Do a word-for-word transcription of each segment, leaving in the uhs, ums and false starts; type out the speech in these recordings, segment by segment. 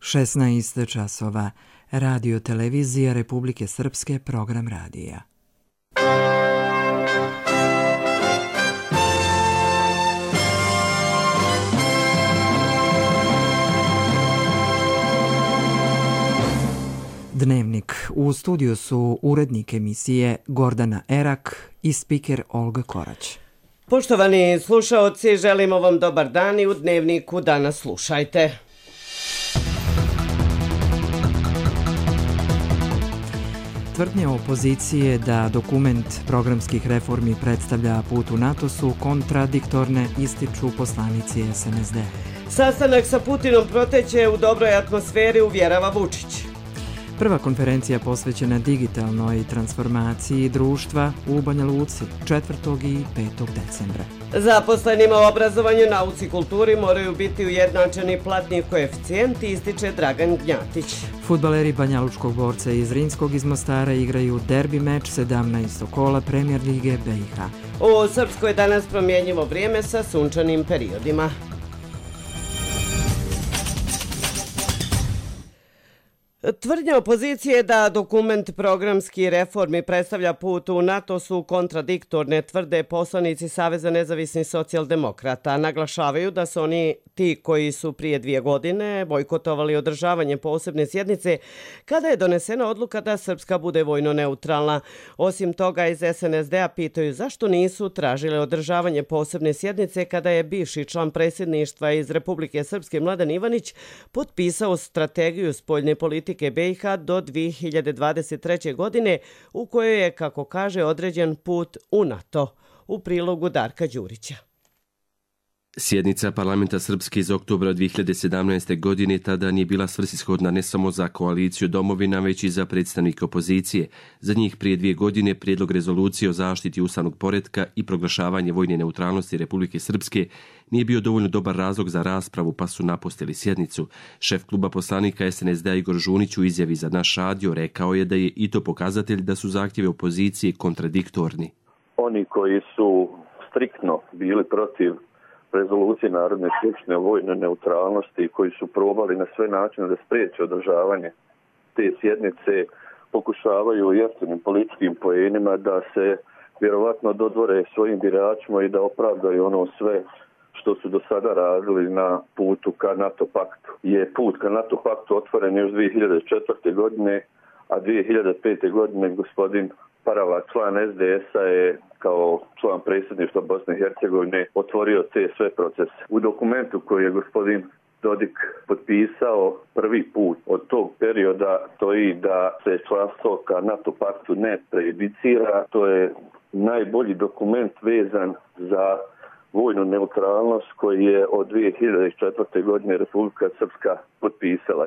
šesnaest časova. Radio televizija Republike Srpske, program radija. Dnevnik. U studiju su urednik emisije Gordana Erak i spiker Olga Korać. Poštovani slušaoci, želimo vam dobar dan i u Dnevniku danas slušajte. Tvrdnje opozicije da dokument programskih reformi predstavlja put u NATO su kontradiktorne, ističu poslanici S N S D. Sastanak sa Putinom proteće u dobroj atmosferi, uvjerava Vučić. Prva konferencija posvećena digitalnoj transformaciji društva u Banja Luci četvrtog i petog decembra. Zaposlenima u obrazovanju, nauci i kulturi moraju biti ujednačeni platni koeficijenti, ističe Dragan Gnjatić. Fudbaleri banjalučkog borca iz Zrinskog iz Mostara igraju derbi meč sedamnaestog kola Premijer lige B i H. U Srpskoj danas promjenjivo vrijeme sa sunčanim periodima. Tvrdnja opozicije da dokument programski reformi predstavlja put u NATO su kontradiktorne, tvrde poslanici Saveza nezavisnih socijaldemokrata. Naglašavaju da su oni ti koji su prije dvije godine bojkotovali održavanje posebne sjednice kada je donesena odluka da Srpska bude vojno neutralna. Osim toga, iz S N S D-a pitaju zašto nisu tražile održavanje posebne sjednice kada je bivši član predsjedništva iz Republike Srpske Mladen Ivanić potpisao strategiju spoljne politike B i H do dvije hiljade dvadeset treće. godine u kojoj je, kako kaže, određen put u NATO. U prilogu Darka Đurića. Sjednica parlamenta Srpske iz oktobra dvije hiljade sedamnaeste. godine tada nije bila svrsishodna ne samo za koaliciju domovina, već i za predstavnike opozicije. Za njih prije dvije godine prijedlog rezolucije o zaštiti ustavnog poretka i proglašavanje vojne neutralnosti Republike Srpske nije bio dovoljno dobar razlog za raspravu, pa su napustili sjednicu. Šef kluba poslanika S N S D-a Igor Žunić u izjavi za naš radio rekao je da je i to pokazatelj da su zahtjevi opozicije kontradiktorni. Oni koji su striktno bili protiv rezolucije Narodne skupštine o vojnoj neutralnosti, koji su probali na sve načine da spriječe održavanje te sjednice, pokušavaju jeftinim političkim poenima da se vjerovatno dodvore svojim biračima i da opravdaju ono sve što su do sada radili na putu ka NATO paktu. Je put ka NATO paktu otvoren još dvije hiljade četvrte. godine, a dvije hiljade pete. godine gospodin Parava, član S D S-a, je kao član predsjedništva Bosne i Hercegovine otvorio te sve procese. U dokumentu koji je gospodin Dodik potpisao prvi put od tog perioda stoji da se članstvo ka NATO paktu ne prejudicira. To je najbolji dokument vezan za vojnu neutralnost koji je od dvije hiljade četvrte. godine Republika Srpska potpisala.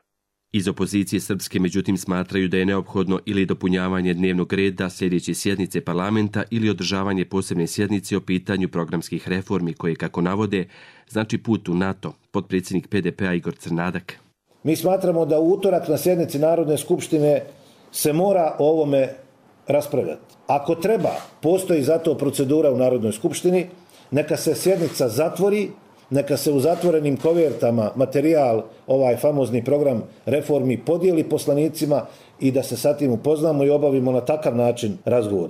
Iz opozicije Srpske međutim smatraju da je neophodno ili dopunjavanje dnevnog reda sljedeće sjednice parlamenta ili održavanje posebne sjednice o pitanju programskih reformi koje, kako navode, znači put u NATO. Potpredsjednik P D P-a Igor Crnadak. Mi smatramo da u utorak na sjednici Narodne skupštine se mora o ovome raspravljati. Ako treba, postoji za to procedura u Narodnoj skupštini, neka se sjednica zatvori, neka se u zatvorenim kovertama materijal, ovaj famozni program reformi, podijeli poslanicima i da se sa tim upoznamo i obavimo na takav način razgovor.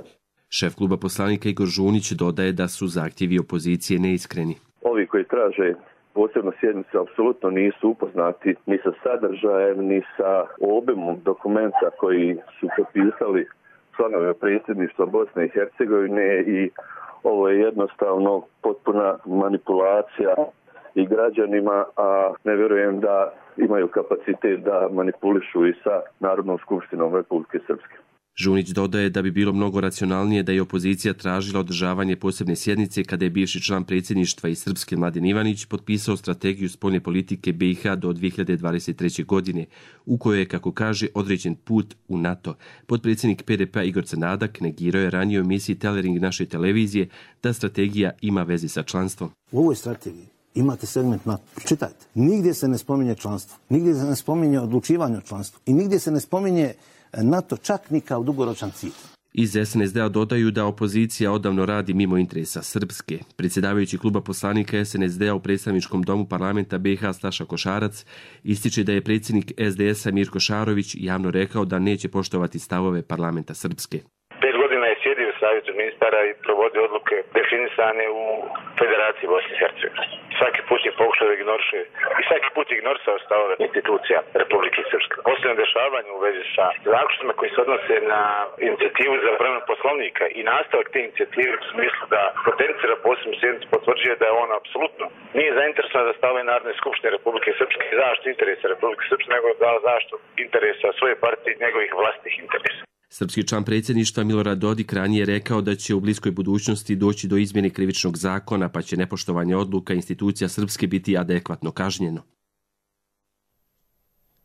Šef kluba poslanika Igor Žunić dodaje da su zahtjevi opozicije neiskreni. Ovi koji traže posebno sjednicu apsolutno nisu upoznati ni sa sadržajem, ni sa obimom dokumenta koji su potpisali članovi predsjedništva Bosne i Hercegovine i ovo je jednostavno potpuna manipulacija i građanima, a ne vjerujem da imaju kapacitet da manipulišu i sa Narodnom skupštinom Republike Srpske. Žunić dodaje da bi bilo mnogo racionalnije da je opozicija tražila održavanje posebne sjednice kada je bivši član predsjedništva iz Srpske Mladen Ivanić potpisao strategiju spoljne politike B i H do dvije hiljade dvadeset treće. godine, u kojoj je, kako kaže, određen put u NATO. Potpredsjednik P D P-a Igor Crnadak negirao je ranije u emisiji Telering naše televizije da strategija ima veze sa članstvom. U ovoj strategiji imate segment NATO. Čitajte. Nigdje se ne spominje članstvo. Nigdje se ne spominje odlučivanje o članstvu. I nigdje se ne spominje NATO čak ni kao dugoročan cilj. Iz es en es de a dodaju da opozicija odavno radi mimo interesa Srpske. Predsjedavajući kluba poslanika es en es de a u predstavničkom domu parlamenta be i ha Staša Košarac ističe da je predsjednik es de es a Mirko Šarović javno rekao da neće poštovati stavove parlamenta Srpske. Sjedio u savjetu ministara i provodio odluke definisane u Federaciji Bosne i Hercegovine. Svaki put je pokušao da ignoriše i svaki put je ignorisao stavove institucija Republike Srpske. Posljedno dešavanje u vezi sa zaključcima koji se odnose na inicijativu za promjenu poslovnika i nastavak te inicijative u smislu da potencira posebnu sjednicu potvrđuje da je on apsolutno nije zainteresovan za stavove Narodne skupštine Republike Srpske i zaštitu interesa Republike Srpske, nego za zaštitu interesa svoje partije i njegovih vlastitih interesa. Srpski član predsjedništva Milorad Dodik ranije rekao da će u bliskoj budućnosti doći do izmjene krivičnog zakona, pa će nepoštovanje odluka institucija Srpske biti adekvatno kažnjeno.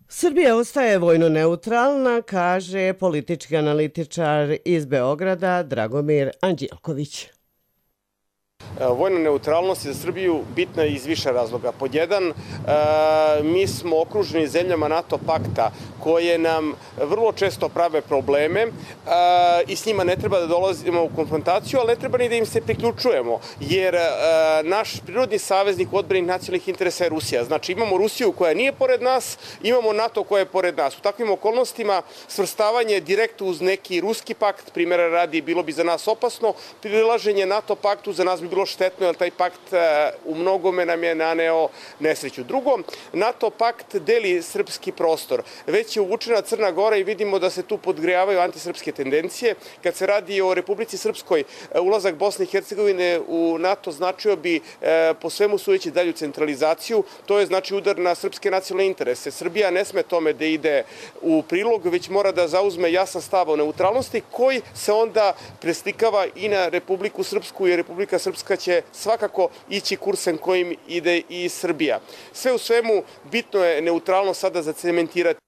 Srbija ostaje vojno neutralna, kaže politički analitičar iz Beograda Dragomir Anđelković. Vojna neutralnost je za Srbiju bitna iz više razloga. Pod jedan, mi smo okruženi zemljama NATO pakta koje nam vrlo često prave probleme i s njima ne treba da dolazimo u konfrontaciju, ali ne treba ni da im se priključujemo, jer naš prirodni saveznik u odbrani nacionalnih interesa je Rusija. Znači imamo Rusiju koja nije pored nas, imamo NATO koja je pored nas. U takvim okolnostima svrstavanje direktno uz neki ruski pakt, primjera radi, bilo bi za nas opasno, prilaženje NATO paktu za nas bi bilo štetno, jer taj pakt u mnogome nam je naneo nesreću. Drugo, NATO pakt deli srpski prostor. Već je uvučena Crna Gora i vidimo da se tu podgrejavaju antisrpske tendencije. Kad se radi o Republici Srpskoj, ulazak Bosne i Hercegovine u NATO značio bi po svemu sudeći dalju centralizaciju. To je znači udar na srpske nacionalne interese. Srbija ne sme tome da ide u prilog, već mora da zauzme jasan stav o neutralnosti koji se onda preslikava i na Republiku Srpsku, jer Republika Srpska će svakako ići kursem kojim ide i Srbija. Sve u svemu, bitno je neutralno sada zacementirati.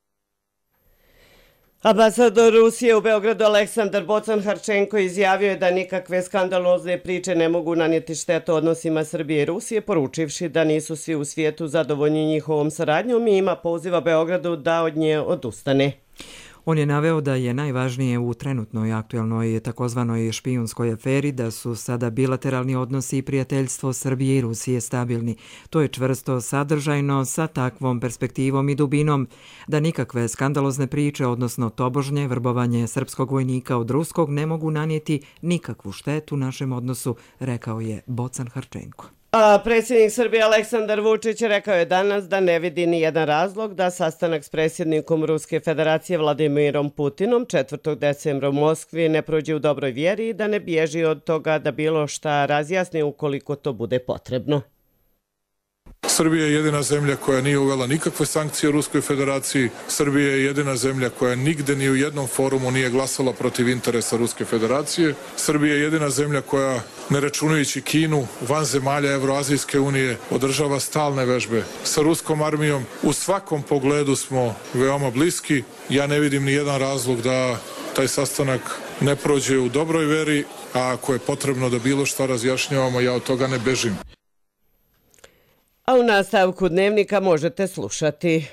Ambasador Rusije u Beogradu Aleksandar Bocan-Harčenko izjavio je da nikakve skandalozne priče ne mogu nanijeti štetu odnosima Srbije i Rusije, poručivši da nisu svi u svijetu zadovoljni njihovom saradnjom i ima poziva Beogradu da od nje odustane. On je naveo da je najvažnije u trenutnoj aktualnoj takozvanoj špijunskoj aferi da su sada bilateralni odnosi i prijateljstvo Srbije i Rusije stabilni. To je čvrsto sadržajno sa takvom perspektivom i dubinom da nikakve skandalozne priče, odnosno tobožnje vrbovanje srpskog vojnika od ruskog ne mogu nanijeti nikakvu štetu našem odnosu, rekao je Bocan-Harčenko. A predsjednik Srbije Aleksandar Vučić rekao je danas da ne vidi ni jedan razlog da sastanak s predsjednikom Ruske federacije Vladimirom Putinom četvrtog decembra u Moskvi ne prođe u dobroj vjeri i da ne bježi od toga da bilo šta razjasni ukoliko to bude potrebno. Srbija je jedina zemlja koja nije uvela nikakve sankcije Ruskoj federaciji. Srbija je jedina zemlja koja nigde ni u jednom forumu nije glasala protiv interesa Ruske federacije. Srbija je jedina zemlja koja, ne računajući Kinu, van zemalja Evroazijske unije, održava stalne vežbe sa ruskom armijom. U svakom pogledu smo veoma bliski. Ja ne vidim ni jedan razlog da taj sastanak ne prođe u dobroj veri, a ako je potrebno da bilo šta razjašnjavamo, ja od toga ne bežim. A u nastavku dnevnika možete slušati.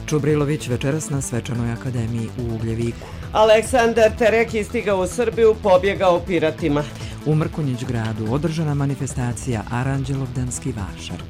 Čubrilović večeras na Svečanoj akademiji u Ugljeviku. Aleksandar Terek istigao u Srbiju, pobjegao piratima. U Mrkonjić gradu održana manifestacija Aranđelovdanski vašar.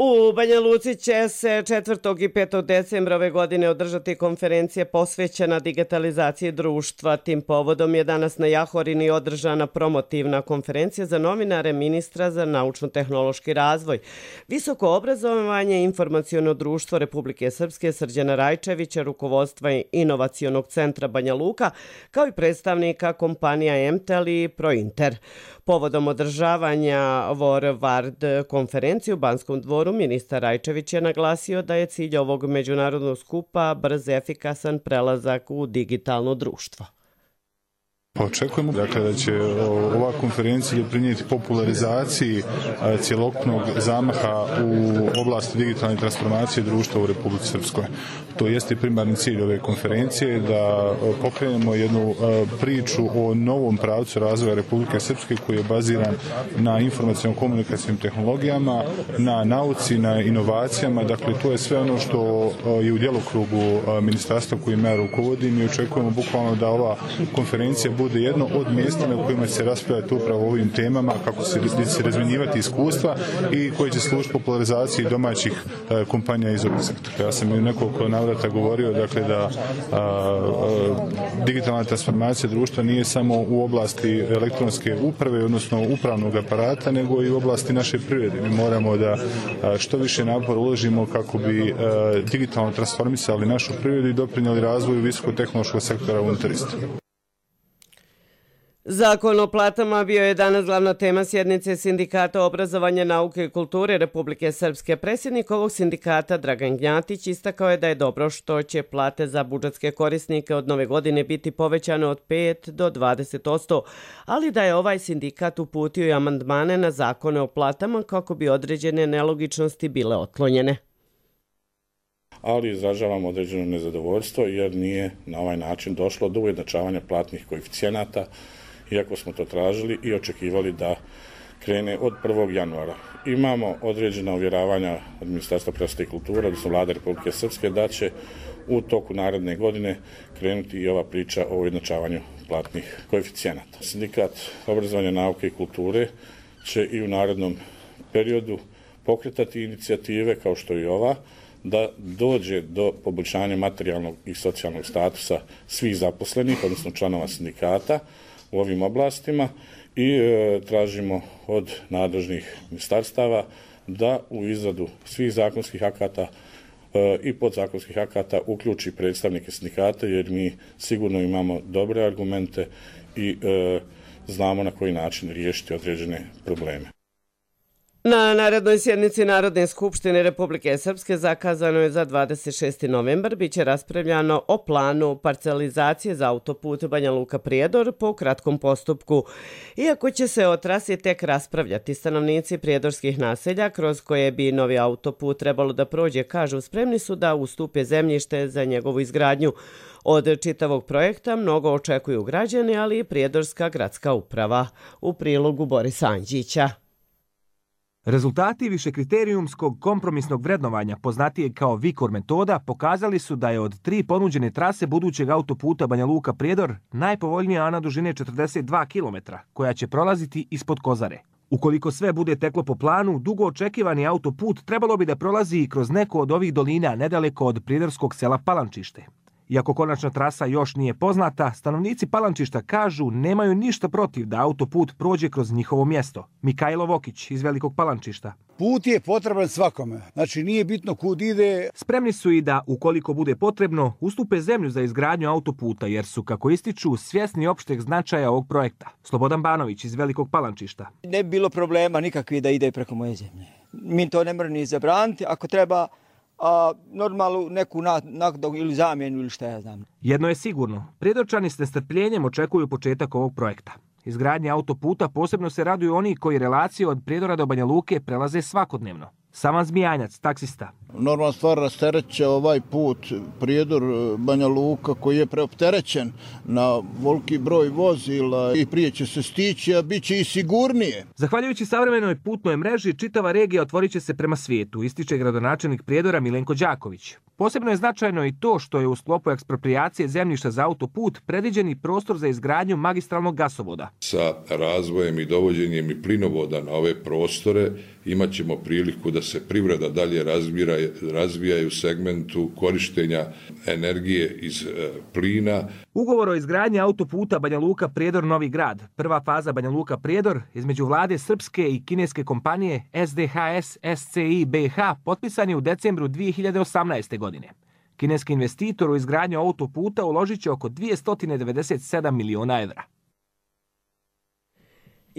U Banja Luci će se četvrtog i petog decembra ove godine održati konferencija posvećena digitalizaciji društva. Tim povodom je danas na Jahorini održana promotivna konferencija za novinare ministra za naučno-tehnološki razvoj. Visoko obrazovanje i informaciono društvo Republike Srpske Srđana Rajčevića, rukovodstva Inovacionog centra Banja Luka, kao i predstavnika kompanija Emtel i Prointer. Povodom održavanja Vorvard konferencije u Banskom dvoru, ministar Rajčević je naglasio da je cilj ovog međunarodnog skupa brz, efikasan prelazak u digitalno društvo. Očekujemo dakle, da će ova konferencija doprinijeti popularizaciji cjelokupnog zamaha u oblasti digitalne transformacije društva u Republici Srpskoj. To jeste primarni cilj ove konferencije, da pokrenemo jednu priču o novom pravcu razvoja Republike Srpske koji je baziran na informaciono-komunikacijnim tehnologijama, na nauci, na inovacijama. Dakle, to je sve ono što je u djelokrugu ministarstva kojim ja rukovodim i očekujemo bukvalno da ova konferencija bude jedno od mjesta na kojima će se raspravljati upravo o ovim temama, kako se, se razmjenjivati iskustva i koji će služiti popularizaciji domaćih a, kompanija iz ovog sektora. Ja sam i nekoliko navrata govorio dakle, da a, a, digitalna transformacija društva nije samo u oblasti elektronske uprave, odnosno upravnog aparata, nego i u oblasti naše privrede. Mi moramo da a, što više napora uložimo kako bi a, digitalno transformisali našu privredu i doprinijeli razvoju visokotehnološkog sektora unutar iste. Zakon o platama bio je danas glavna tema sjednice Sindikata obrazovanja, nauke i kulture Republike Srpske. Predsjednik ovog sindikata Dragan Gnjatić istakao je da je dobro što će plate za budžetske korisnike od nove godine biti povećane od pet do dvadeset posto, ali da je ovaj sindikat uputio i amandmane na zakone o platama kako bi određene nelogičnosti bile otklonjene. Ali izražavamo određeno nezadovoljstvo jer nije na ovaj način došlo do ujednačavanja platnih koeficijenata, iako smo to tražili i očekivali da krene od prvog januara. Imamo određena uvjeravanja od Ministarstva prosvjete i kulture, odnosno Vlade Republike Srpske, da će u toku naredne godine krenuti i ova priča o ujednačavanju platnih koeficijenata. Sindikat obrazovanja, nauke i kulture će i u narednom periodu pokretati inicijative kao što i ova, da dođe do poboljšanja materijalnog i socijalnog statusa svih zaposlenih, odnosno članova sindikata u ovim oblastima i e, tražimo od nadležnih ministarstava da u izradu svih zakonskih akata e, i podzakonskih akata uključi predstavnike sindikata, jer mi sigurno imamo dobre argumente i e, znamo na koji način riješiti određene probleme. Na narednoj sjednici Narodne skupštine Republike Srpske zakazano je za dvadeset šesti novembar biće raspravljano o planu parcelizacije za autoput Banja Luka-Prijedor po kratkom postupku. Iako će se o trasi tek raspravljati, stanovnici prijedorskih naselja kroz koje bi novi autoput trebalo da prođe, kažu, spremni su da ustupe zemljište za njegovu izgradnju. Od čitavog projekta mnogo očekuju građani, ali i Prijedorska gradska uprava. U prilogu Borisa Anđića. Rezultati višekriterijumskog kompromisnog vrednovanja, poznatijeg kao Vikor metoda, pokazali su da je od tri ponuđene trase budućeg autoputa Banja Luka-Prijedor najpovoljnija ona dužine četrdeset dva kilometra, koja će prolaziti ispod Kozare. Ukoliko sve bude teklo po planu, dugo očekivani autoput trebalo bi da prolazi i kroz neko od ovih dolina nedaleko od prijedorskog sela Palančište. Iako konačna trasa još nije poznata, stanovnici Palančišta kažu nemaju ništa protiv da autoput prođe kroz njihovo mjesto. Mikajlo Vokić iz Velikog Palančišta. Put je potreban svakome, znači nije bitno kud ide. Spremni su i da, ukoliko bude potrebno, ustupe zemlju za izgradnju autoputa, jer su, kako ističu, svjesni opšteg značaja ovog projekta. Slobodan Banović iz Velikog Palančišta. Ne bi bilo problema nikakvi da ide preko moje zemlje. Mi to ne moramo ni zabraniti, ako treba a normalnu neku naknadu ili zamjenu ili šta ja znam. Jedno je sigurno, Prijedorčani s nestrpljenjem očekuju početak ovog projekta. Izgradnje autoputa posebno se raduju oni koji relaciju od Prijedora do Banja Luke prelaze svakodnevno. Saman Zmijanjac, taksista. Normalna stvar rastereće ovaj put Prijedor Banja Luka koji je preopterećen na voliki broj vozila i prije će se stići, a bit će i sigurnije. Zahvaljujući savremenoj putnoj mreži, čitava regija otvorit će se prema svijetu, ističe gradonačelnik Prijedora Milenko Đaković. Posebno je značajno i to što je u sklopu eksproprijacije zemljišta za autoput predviđeni prostor za izgradnju magistralnog gasovoda. Sa razvojem i dovođenjem i plinovoda na ove prostore imat ćemo priliku da se privreda dalje razvira, razvija u segmentu korištenja energije iz e, plina. Ugovor o izgradnji autoputa Banja Luka-Prijedor Novi Grad, prva faza Banja Luka-Prijedor, između vlade srpske i kineske kompanije S D H S S C I B H, potpisan je u decembru dvije hiljade osamnaeste. godine. Kineski investitor u izgradnju autoputa uložit će oko dvjesto devedeset sedam miliona evra.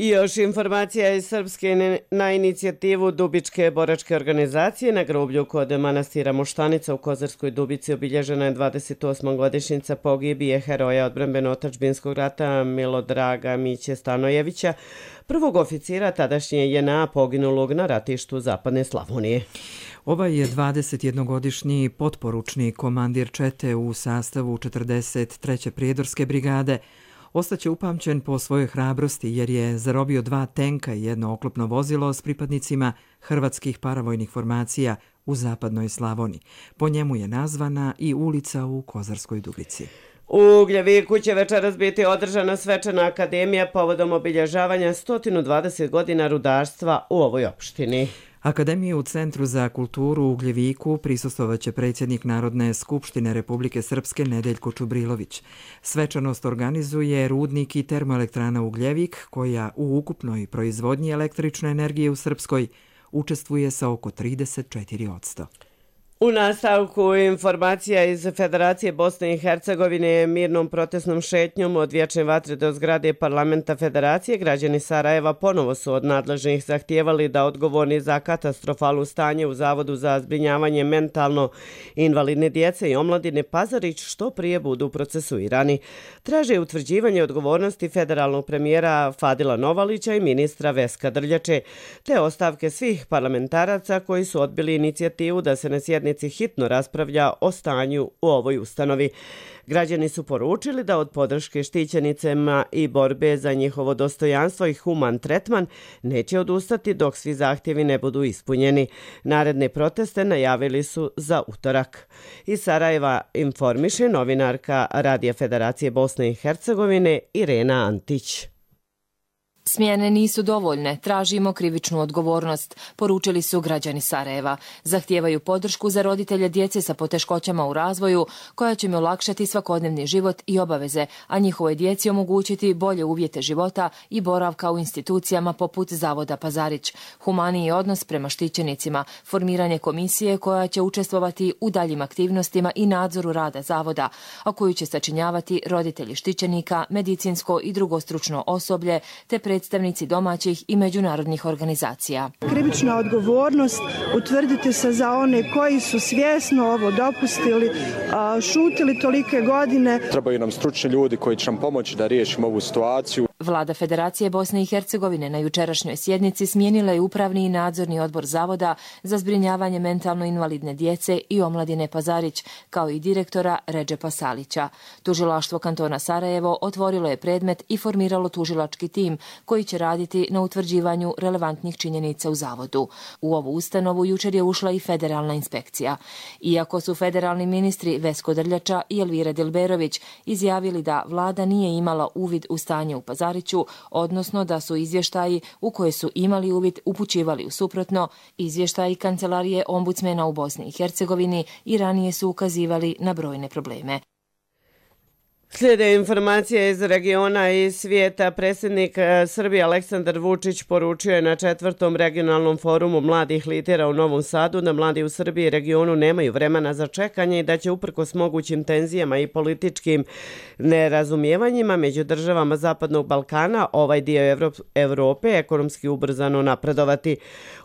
I još informacija iz Srpske na inicijativu Dubičke boračke organizacije. Na groblju kod manastira Moštanica u Kozarskoj Dubici obilježena je dvadeset osma godišnjica pogibije heroja odbrambeno-otadžbinskog rata Milodraga Miće Stanojevića, prvog oficira tadašnje J N A poginulog na ratištu Zapadne Slavonije. Ovaj je dvadesetjednogodišnji potporučni komandir čete u sastavu četrdeset treće prijedorske brigade. Ostaće upamćen po svojoj hrabrosti jer je zarobio dva tenka i jedno oklopno vozilo s pripadnicima hrvatskih paravojnih formacija u Zapadnoj Slavoniji. Po njemu je nazvana i ulica u Kozarskoj Dubici. U Ugljeviku će večeras biti održana svečana akademija povodom obilježavanja sto dvadeset godina rudarstva u ovoj opštini. Akademiju u Centru za kulturu u Ugljeviku prisustvovaće predsjednik Narodne skupštine Republike Srpske Nedeljko Čubrilović. Svečanost organizuje rudnik i termoelektrana Ugljevik, koja u ukupnoj proizvodnji električne energije u Srpskoj učestvuje sa oko trideset četiri posto. U nastavku informacija iz Federacije Bosne i Hercegovine mirnom protestnom šetnjom od Vječne vatre do zgrade Parlamenta Federacije građani Sarajeva ponovo su od nadležnih zahtijevali da odgovorni za katastrofalno stanje u Zavodu za zbrinjavanje mentalno invalidne djece i omladine Pazarić što prije budu procesuirani. Traže utvrđivanje odgovornosti federalnog premijera Fadila Novalića i ministra Veska Drljače, te ostavke svih parlamentaraca koji su odbili inicijativu da se na sjednici hitno raspravlja o stanju u ovoj ustanovi. Građani su poručili da od podrške štićenicama i borbe za njihovo dostojanstvo i human tretman neće odustati dok svi zahtjevi ne budu ispunjeni. Naredne proteste najavili su za utorak. Iz Sarajeva informiše novinarka Radija Federacije Bosne i Hercegovine Irena Antić. Smjene nisu dovoljne, tražimo krivičnu odgovornost, poručili su građani Sarajeva. Zahtijevaju podršku za roditelje djece sa poteškoćama u razvoju, koja će im olakšati svakodnevni život i obaveze, a njihovoj djeci omogućiti bolje uvjete života i boravka u institucijama poput Zavoda Pazarić, humaniji odnos prema štićenicima, formiranje komisije koja će učestvovati u daljim aktivnostima i nadzoru rada Zavoda, a koju će sačinjavati roditelji štićenika, medicinsko i drugo stručno osoblje, te predstavnici domaćih i međunarodnih organizacija. Krivična odgovornost utvrdite se za one koji su svjesno ovo dopustili, šutili tolike godine. Trebaju nam stručni ljudi koji će nam pomoći da riješimo ovu situaciju. Vlada Federacije Bosne i Hercegovine na jučerašnjoj sjednici smijenila je upravni i nadzorni odbor Zavoda za zbrinjavanje mentalno invalidne djece i omladine Pazarić, kao i direktora Redžepa Salića. Tužilaštvo kantona Sarajevo otvorilo je predmet i formiralo tužilački tim koji će raditi na utvrđivanju relevantnih činjenica u Zavodu. U ovu ustanovu jučer je ušla i federalna inspekcija. Iako su federalni ministri Vesko Drljača i Elvira Dilberović izjavili da vlada nije imala uvid u stanje u Pazariću, odnosno da su izvještaji u koje su imali uvid upućivali u suprotno, izvještaji Kancelarije ombudsmena u Bosni i Hercegovini i ranije su ukazivali na brojne probleme. Slijede informacije iz regiona i svijeta. Predsjednik Srbije Aleksandar Vučić poručio je na četvrtom regionalnom forumu mladih lidera u Novom Sadu da mladi u Srbiji i regionu nemaju vremena za čekanje i da će uprkos mogućim tenzijama i političkim nerazumijevanjima među državama Zapadnog Balkana ovaj dio Evrope ekonomski ubrzano napredovati.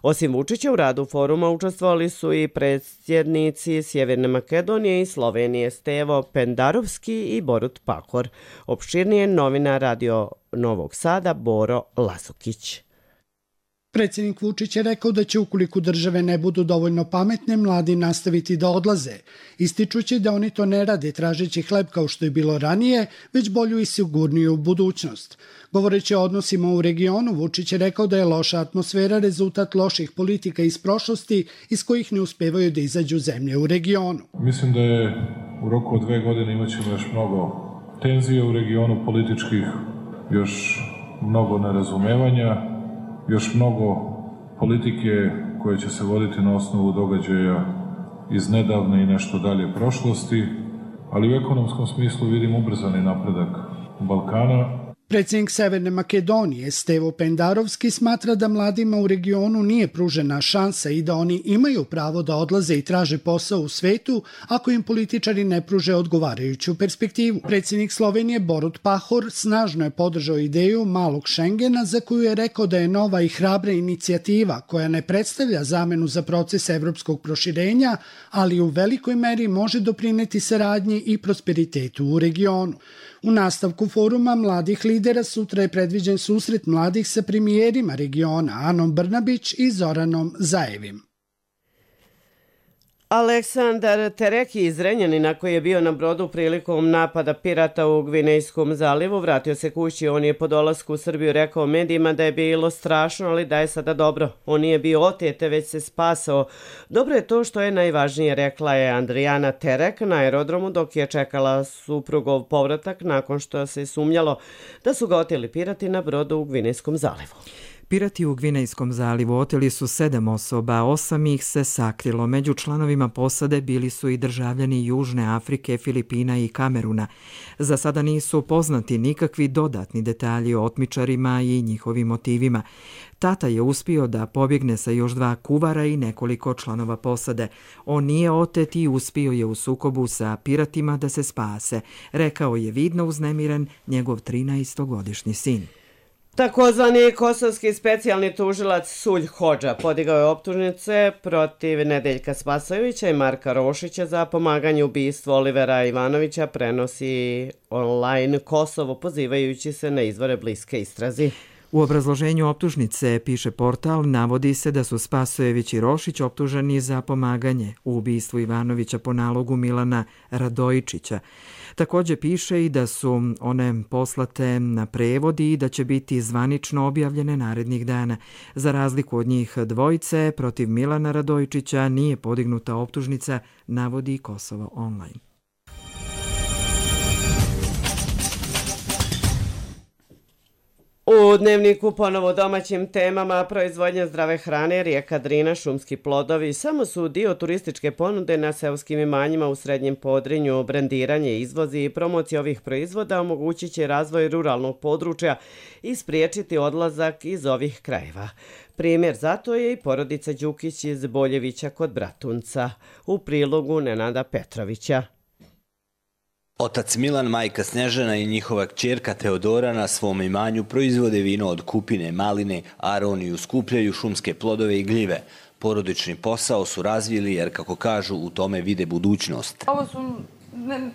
Osim Vučića u radu foruma učestvovali su i predsjednici Sjeverne Makedonije i Slovenije Stevo Pendarovski i Borut Pahor. Opširnije novinar Radio Novog Sada Boro Lasukić. Predsjednik Vučić je rekao da će ukoliko države ne budu dovoljno pametne, mladi nastaviti da odlaze, ističući da oni to ne rade tražeći hleb kao što je bilo ranije, već bolju i sigurniju budućnost. Govoreći o odnosima u regionu, Vučić je rekao da je loša atmosfera rezultat loših politika iz prošlosti iz kojih ne uspevaju da izađu zemlje u regionu. Mislim da je u roku od dve godine imat ćemo još mnogo tenzije u regionu političkih, još mnogo nerazumevanja, još mnogo politike koje će se voditi na osnovu događaja iz nedavne i nešto dalje prošlosti, ali u ekonomskom smislu vidim ubrzani napredak Balkana. Predsjednik Severne Makedonije Stevo Pendarovski smatra da mladima u regionu nije pružena šansa i da oni imaju pravo da odlaze i traže posao u svetu ako im političari ne pruže odgovarajuću perspektivu. Predsjednik Slovenije Borut Pahor snažno je podržao ideju malog Šengena za koju je rekao da je nova i hrabra inicijativa koja ne predstavlja zamenu za proces evropskog proširenja, ali u velikoj meri može doprineti saradnji i prosperitetu u regionu. U nastavku foruma mladih lidera sutra je predviđen susret mladih sa premijerima regiona Anom Brnabić i Zoranom Zaevim. Aleksandar Tereki iz Renjanina, koji je bio na brodu prilikom napada pirata u Gvinejskom zalivu, vratio se kući. On je po dolasku u Srbiju rekao medijima da je bilo strašno, ali da je sada dobro. On nije bio otete, već se spasao. Dobro je to što je najvažnije, rekla je Andrijana Terek na aerodromu dok je čekala suprugov povratak nakon što se sumnjalo da su ga oteli pirati na brodu u Gvinejskom zalivu. Pirati u Gvinejskom zalivu oteli su sedam osoba, osam ih se sakrilo. Među članovima posade bili su i državljani Južne Afrike, Filipina i Kameruna. Za sada nisu poznati nikakvi dodatni detalji o otmičarima i njihovim motivima. Tata je uspio da pobjegne sa još dva kuvara i nekoliko članova posade. On nije otet i uspio je u sukobu sa piratima da se spase, rekao je vidno uznemiren njegov trinaestogodišnji sin. Takozvani kosovski specijalni tužilac Sulj Hodža podigao je optužnice protiv Nedeljka Spasojevića i Marka Rošića za pomaganje u ubistvu Olivera Ivanovića, prenosi online Kosovo pozivajući se na izvore bliske istrazi. U obrazloženju optužnice, piše portal, navodi se da su Spasojević i Rošić optuženi za pomaganje u ubistvu Ivanovića po nalogu Milana Radojičića. Također piše i da su one poslate na prevod i da će biti zvanično objavljene narednih dana. Za razliku od njih dvojice, protiv Milana Radojičića nije podignuta optužnica, navodi Kosovo online. U Dnevniku ponovo domaćim temama proizvodnja zdrave hrane, rijeka Drina, šumski plodovi samo su dio turističke ponude na seoskim imanjima u Srednjem Podrinju. Brandiranje, izvozi i promocija ovih proizvoda omogućit će razvoj ruralnog područja i spriječiti odlazak iz ovih krajeva. Primjer zato je i porodica Đukić iz Boljevića kod Bratunca. U prilogu Nenada Petrovića. Otac Milan, majka Snežana i njihova kćerka Teodora na svom imanju proizvode vino od kupine, maline, aroniju, skupljaju šumske plodove i gljive. Porodični posao su razvili jer, kako kažu, u tome vide budućnost. Ovo su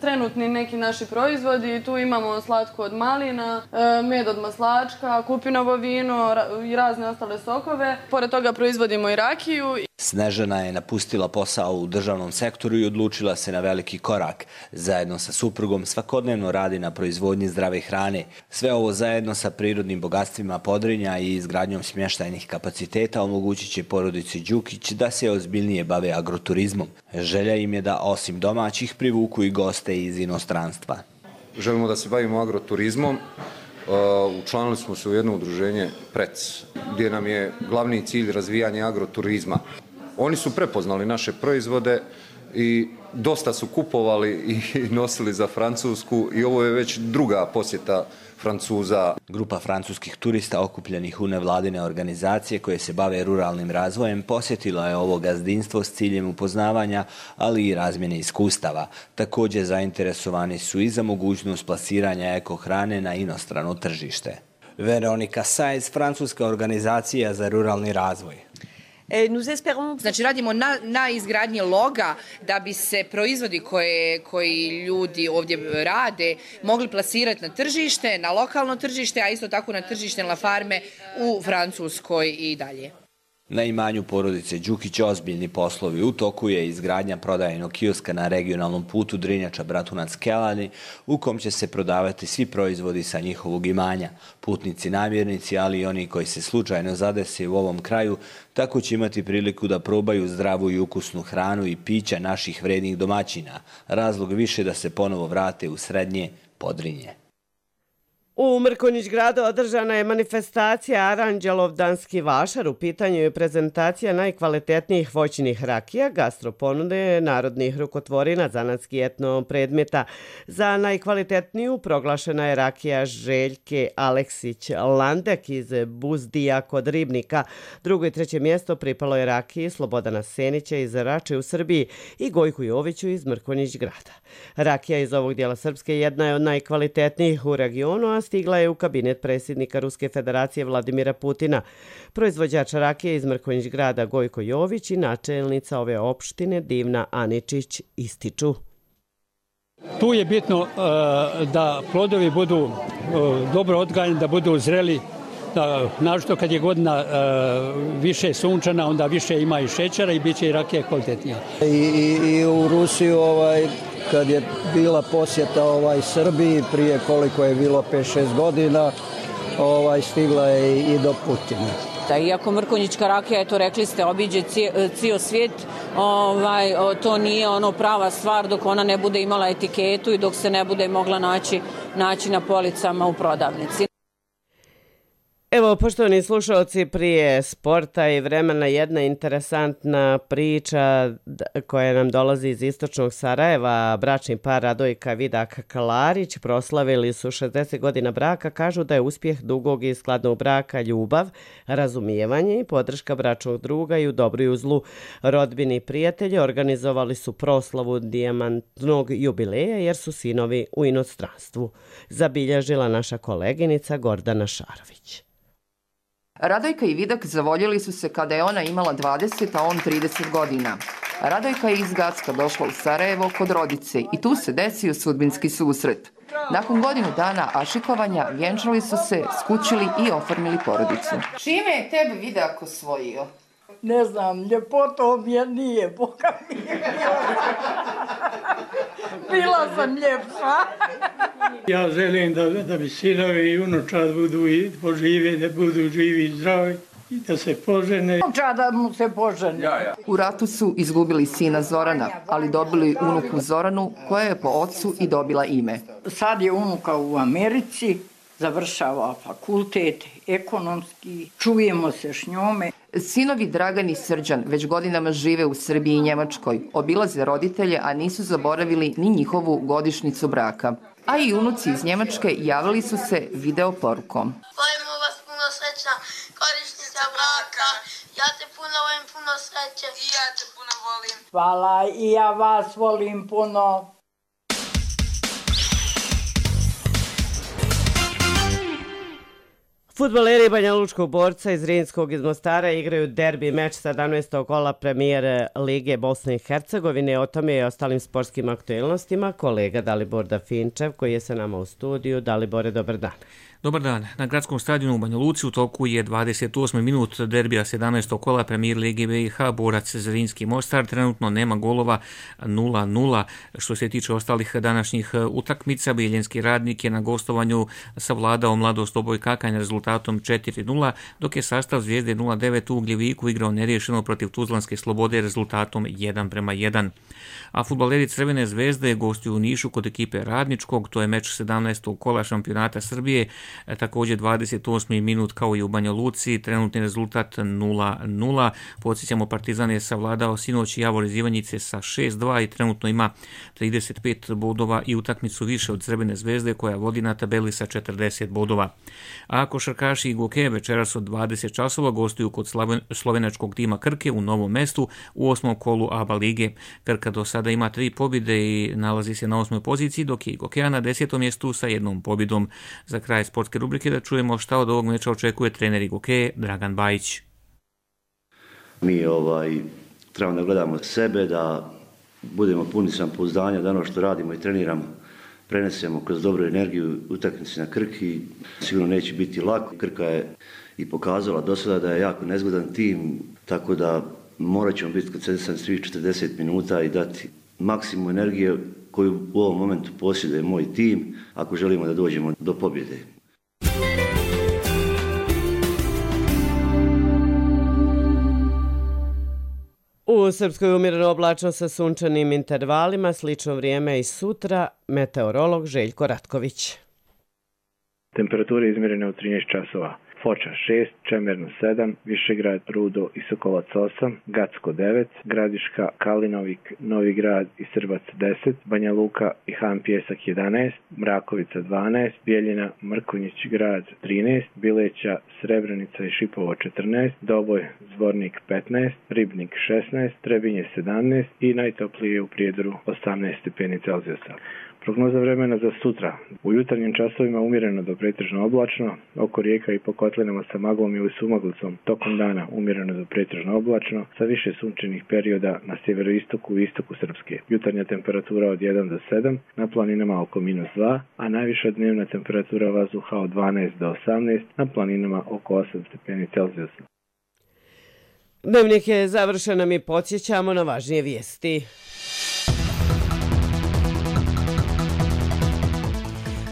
trenutni neki naši proizvodi. Tu imamo slatko od malina, med od maslačka, kupinovo vino i razne ostale sokove. Pored toga proizvodimo i rakiju. Snežana je napustila posao u državnom sektoru i odlučila se na veliki korak. Zajedno sa suprugom svakodnevno radi na proizvodnji zdrave hrane. Sve ovo zajedno sa prirodnim bogatstvima Podrinja i izgradnjom smještajnih kapaciteta omogućit će porodici Đukić da se ozbiljnije bave agroturizmom. Želja im je da osim domaćih privuku i goste iz inostranstva. Želimo da se bavimo agroturizmom. Učlanili smo se u jedno udruženje P R E C, gdje nam je glavni cilj razvijanje agroturizma. Oni su prepoznali naše proizvode i dosta su kupovali i nosili za Francusku i ovo je već druga posjeta Francuza. Grupa francuskih turista okupljenih u nevladine organizacije koje se bave ruralnim razvojem posjetila je ovo gazdinstvo s ciljem upoznavanja, ali i razmjene iskustava. Također zainteresovani su i za mogućnost plasiranja ekohrane na inostrano tržište. Veronika Sajz, francuska organizacija za ruralni razvoj. Znači radimo na, na izgradnji loga da bi se proizvodi koje, koji ljudi ovdje rade mogli plasirati na tržište, na lokalno tržište, a isto tako na tržište na farme u Francuskoj i dalje. Na imanju porodice Đukić ozbiljni poslovi. U toku je izgradnja prodajnog kioska na regionalnom putu Drinjača Bratunac Kelani, u kom će se prodavati svi proizvodi sa njihovog imanja. Putnici, namjernici, ali i oni koji se slučajno zadese u ovom kraju, tako će imati priliku da probaju zdravu i ukusnu hranu i pića naših vrednih domaćina. Razlog više da se ponovo vrate u Srednje Podrinje. U Mrkonjić gradu održana je manifestacija Aranđelovdanski vašar. U pitanju je prezentacija najkvalitetnijih voćnih rakija, gastroponude narodnih rukotvorina, zanatski etno predmeta. Za najkvalitetniju proglašena je rakija Željke Aleksić Landek iz Buzdija kod Ribnika. Drugo i treće mjesto pripalo je rakiji Slobodana Senića iz Rače u Srbiji i Gojku Joviću iz Mrkonjić grada. Rakija iz ovog dijela Srpske jedna je od najkvalitetnijih u regionu, a stigla je u kabinet predsjednika Ruske federacije Vladimira Putina. Proizvođač rakije iz Mrkonjić grada Gojko Jović i načelnica ove opštine Divna Aničić ističu. Tu je bitno uh, da plodovi budu uh, dobro odgajani, da budu zreli, da, našto kad je godina uh, više sunčana, onda više ima i šećera i bit će i rakije kvalitetnija. I, i, i u Rusiju ovaj, kad je bila posjeta ovaj, Srbiji prije koliko je bilo pet šest godina, ovaj, stigla je i do Putina. Da, iako Mrkonjićka rakija, eto rekli ste, obiđe cijel svijet, ovaj, to nije ono prava stvar dok ona ne bude imala etiketu i dok se ne bude mogla naći, naći na policama u prodavnici. Evo, poštovani slušalci, prije sporta i vremena jedna interesantna priča koja nam dolazi iz istočnog Sarajeva. Bračni par Radojka Vidak Klarić proslavili su šezdeset godina braka. Kažu da je uspjeh dugog i skladnog braka ljubav, razumijevanje i podrška bračnog druga i u dobru i u zlu. Rodbini i prijatelji organizovali su proslavu dijamantnog jubileja jer su sinovi u inostranstvu. Zabilježila naša koleginica Gordana Šarović. Radojka i Vidak zavoljeli su se kada je ona imala dvadeset, a on trideset godina. Radojka je iz Gacka došla u Sarajevo kod rodice i tu se desio sudbinski susret. Nakon godinu dana ašikovanja vjenčali su se, skućili i oformili porodicu. Čime je tebe Vidak osvojio? Ne znam, ljepotom je nije, Boga mi je. Bila sam ljepša. Ja želim da, da bi sinovi i unučad budu i požive, da budu živi i zdravi i da se požene. Unučad da mu se požene. Ja, ja. U ratu su izgubili sina Zorana, ali dobili unuku Zoranu koja je po ocu i dobila ime. Sad je unuka u Americi, završava fakultet, ekonomski, čujemo se s njome. Sinovi Dragan i Srđan već godinama žive u Srbiji i Njemačkoj, obilaze roditelje, a nisu zaboravili ni njihovu godišnjicu braka. A i unuci iz Njemačke javili su se video porukom. Volimo vas, puno srećna godišnjica braka. Ja te puno volim, puno sreće. I ja te puno volim. Hvala, i ja vas volim puno. Fudbaleri Banja Lučkog borca iz Rinskog iz Mostara igraju derbi meč sedamnaestog kola premijer Lige Bosne i Hercegovine. O tome i ostalim sportskim aktualnostima kolega Dalibor Dafinčev koji je sa nama u studiju. Dalibore, dobar dan. Dobar dan. Na gradskom stadionu u Banja Luci u toku je dvadeset osmi minut derbija sedamnaestog kola premijer Lige B i H borac Zrinski Mostar. Trenutno nema golova, nula nula. Što se tiče ostalih današnjih utakmica, Bijeljenski Radnik je na gostovanju savladao Mladost Oboj Kakanja rezultatom četiri nula, dok je sastav Zvijezde nula devet u Ugljeviku igrao neriješeno protiv Tuzlanske Slobode rezultatom jedan prema jedan. A fudbaleri Crvene zvezde gostuju u Nišu kod ekipe Radničkog, to je meč sedamnaestog kola šampionata Srbije. Također dvadeset osmi minut kao i u Banja Luci, trenutni rezultat nula nula. Podsjećamo, Partizan je savladao sinoć Javor iz Ivanjice sa šest dva i trenutno ima trideset pet bodova i utakmicu više od Crvene zvezde koja vodi na tabeli sa četrdeset bodova. A košarkaši i Goke večeras od dvadeset časova gostuju kod slovenačkog tima Krke u Novom Mestu u osmom kolu A B A lige. Krka do sada ima tri pobjede i nalazi se na osmoj poziciji, dok je i Gokea na desetom mjestu sa jednom pobjedom. Za kraj sportske rubrike da čujemo šta od ovog meča očekuje trener Goke Dragan Bajić. Mi ovaj, trebamo da gledamo sebe, da budemo puni samopouzdanja, da ono što radimo i treniramo prenesemo kroz dobru energiju utakmici na Krki. Sigurno neće biti lako. Krka je i pokazala do sada da je jako nezgodan tim, tako da morat ćemo biti koncentrisani svih četrdeset minuta i dati maksimum energije koju u ovom momentu posjeduje moj tim ako želimo da dođemo do pobjede. U Srpskoj umjereno oblačno sa sunčanim intervalima, slično vrijeme i sutra, meteorolog Željko Ratković. Temperature izmjerene u trinaest časova. Foča šest, Čemerno sedam, Višegrad, Rudo i Sokolac osam, Gacko devet, Gradiška, Kalinovik, Novi Grad i Srbac deset, Banja Luka i Han Pjesak jedanaest, Mrakovica dvanaest, Bijeljina, Mrkonjić grad trinaest, Bileća, Srebrenica i Šipovo četrnaest, Doboj, Zvornik petnaest, Ribnik šesnaest, Trebinje sedamnaest i najtoplije u Prijedoru osamnaest stepeni Celzijusa. Prognoza vremena za sutra. U jutarnjim časovima umjereno do pretežno oblačno, oko rijeka i po kotlinama sa maglom ili sumaglicom, tokom dana umjereno do pretežno oblačno, sa više sunčanih perioda na sjeveroistoku i istoku Srpske. Jutarnja temperatura od jedan do sedam, na planinama oko minus dva, a najviša dnevna temperatura vazduha od dvanaest do osamnaest, na planinama oko osam stepeni Celzijusa. Dnevnik je završen, a mi podsjećamo na važnije vijesti.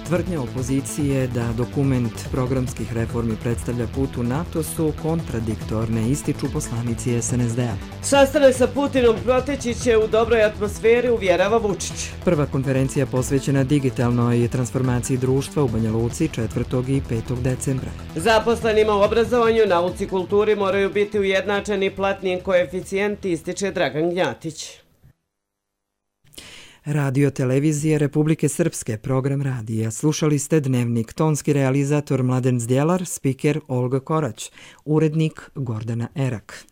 Tvrdnja opozicije da dokument programskih reformi predstavlja put u NATO su kontradiktorne, ističu poslanici S N S D-a. Sastanak sa Putinom proteći će u dobroj atmosferi, uvjerava Vučić. Prva konferencija posvećena digitalnoj transformaciji društva u Banja Luci četvrtog i petog decembra. Zaposlenima u obrazovanju, nauci i kulturi moraju biti ujednačeni platni koeficijenti, ističe Dragan Gnjatić. Radio televizije Republike Srpske, program radija. Slušali ste Dnevnik, tonski realizator Mladen Zdjelar, spiker Olga Korać, urednik Gordana Erak.